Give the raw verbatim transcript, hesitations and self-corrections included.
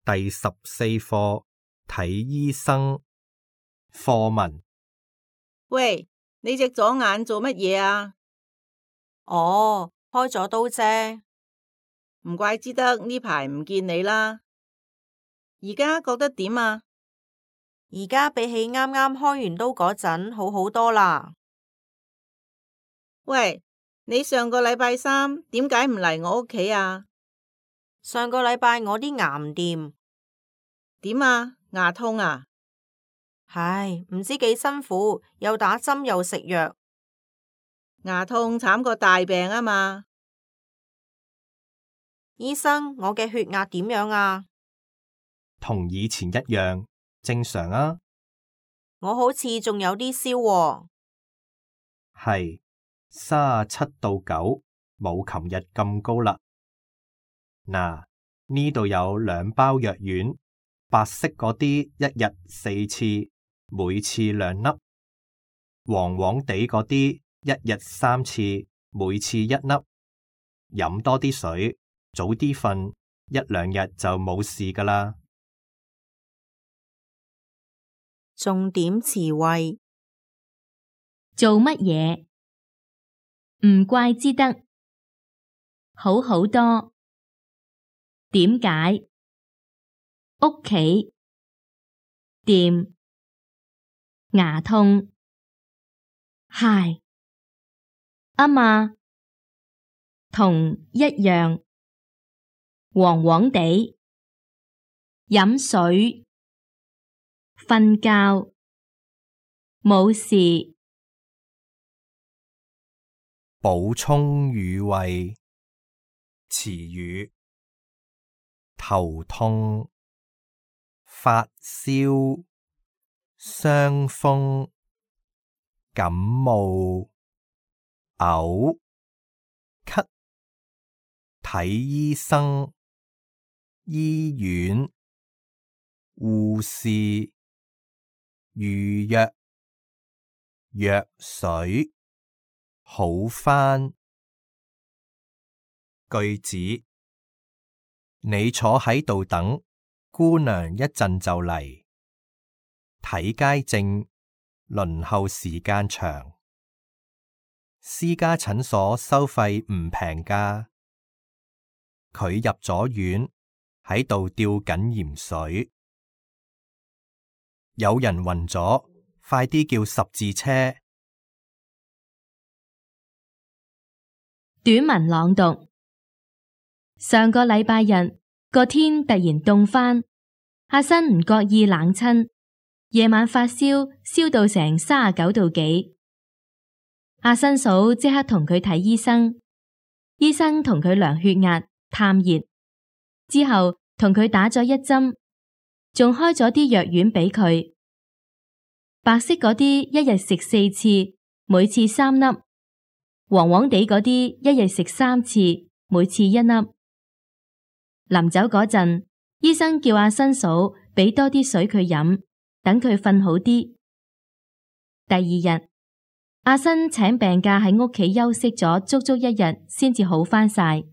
第十四課睇醫生。課文：喂，你隻左眼做乜嘢啊？哦，開咗刀啫。唔怪之得呢排唔見你啦。而家覺得點啊？而家比起啱啱開完刀嗰陣好好多啦。喂，你上個禮拜三點解唔嚟我屋企啊？上個禮拜我啲牙唔掂。點啊？牙痛啊？唉，唔知幾辛苦，又打針又食藥。牙痛慘過大病啊嘛。醫生，我嘅血壓點樣啊？同以前一樣，正常啊。我好似仲有啲燒喎。係三十七到九，冇琴日咁高啦。嗱，呢度有兩包藥丸，白色嗰啲一日四次，每次兩粒；黃黃地嗰啲一日三次，每次一粒。飲多啲水，早啲瞓，一兩日就冇事㗎啦。重點詞彙：做乜嘢？唔怪之得，好好多。點解？屋企，掂，牙痛，係，吖嘛，同一樣，黃黃地，飲水，瞓覺，冇事。補充語彙：詞語：頭痛、發燒、傷風、感冒、嘔、咳、睇醫生、醫院、護士、預約、藥水、好返。句子：你坐喺度等，姑娘一陣就嚟。睇街症，輪候時間長。私家診所收費唔平㗎。佢入咗院，喺度吊緊鹽水。有人暈咗，快啲叫十字車。短文朗讀：上個禮拜日個天突然凍返，阿新唔覺意冷親，夜晚發燒，燒到成三十九度幾。阿新嫂即刻同佢睇醫生，醫生同佢量血壓、探熱，之後同佢打咗一針，仲開咗啲藥丸俾佢。白色嗰啲一日食四次，每次三粒；黃黃地嗰啲一日食三次，每次一粒。臨走嗰陣，醫生叫阿新嫂俾多啲水佢飲，等佢瞓好啲。第二日，阿新請病假喺屋企休息咗足足一日，先至好返晒。